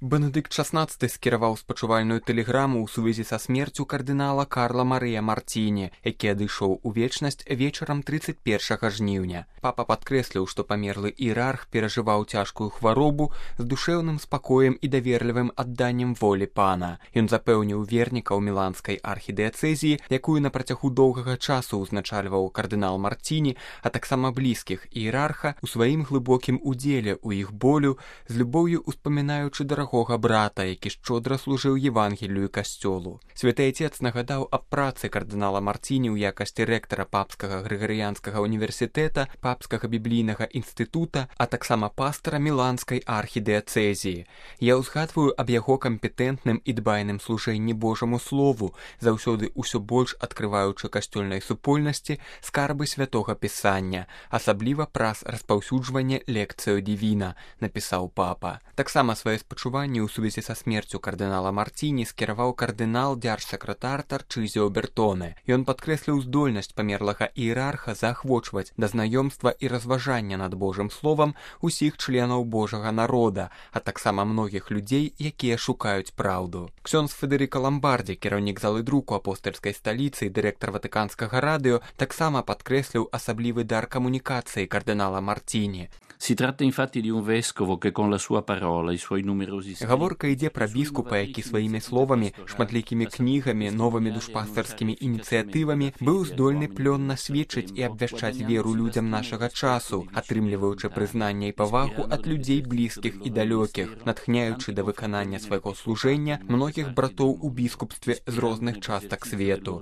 Бенедыкт XVI скіраваў спачувальную тэлеграму ў сувязі са смерцю кардынала Карла Марыя Мартіні, які адышоў у вечнасць вечарам 31 жніўня. Папа падкрэсліў, што памерлы іерарх перажываў цяжкую хваробу з душэўным спакоем і даверлівым адданнем волі пана. Ён запэўніў вернікаў міланскай архідыяцэзіі, якую на працягу доўгага часу ўзначальваў кардынал Мартіні, а таксама блізкіх іерарха, у сваім глыбокім удзеле ў іх болю, з любоўю успамінаючы дарагога брата, які шчодра служыў Евангелію і касцёлу. Святы Отец нагадаў аб працы кардынала Мартіні ў якасці рэктара Папскага Грыгарыянскага універсітэта, Папскага біблійнага інстытута, а таксама пастара міланскай архідыяцэзіі. Я ўзгадваю аб яго кампетэнтным і дбайным служэнні Божаму слову, заўсёды ўсё больш адкрываючы касцёльнай супольнасці скарбы святога пісання, асабліва праз распаўсюджванне лекцыю дівіна, напісаў папа. Таксама свае спачуванні ў сувязі са смерцю кардынала Мартіні скіраваў кардынал дзяржсакратар Тарчызіо Бертоне. Ён падкрэсліў здольнасць памерлага іерарха заахвочваць да знаёмства і разважання над Божым словам усіх членаў Божага народа, а таксама многіх людзей, якія шукаюць праўду. Ксёндз Федэрыка Ламбардзі, кіраўнік залы друку апостальскай сталіцы і дырэктар Ватыканскага радыё, таксама падкрэсліў асаблівы дар камунікацыі кардынала Мартіні. Si tratta infatti di un vescovo che con la sua parola, i suoi numerosi scritti... Гаворка ідзе пра біскупа, які сваімі словамі, шматлікімі кнігамі, новымі душпастарскімі ініцыятывамі быў здольны плённа сведчыць і абвяшчаць веру людзям нашага часу, атрымліваючы прызнанне і павагу ад людзей блізкіх і далёкіх, натхняючы да выканання свайго служэння многіх братоў у біскупстве з розных частак свету.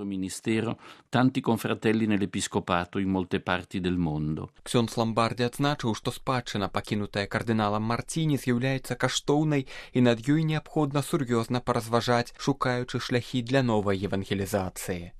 Tanti confratelli nell'episcopato in molte parti del mondo. Ксёндз Ламбардзі адзначыў, што спадчына, пакінутая кардыналам Мартіні, з'яўляецца каштоўнай і над ёй неабходна сур'ёзна паразважаць, шукаючы шляхі для новай евангелізацыі.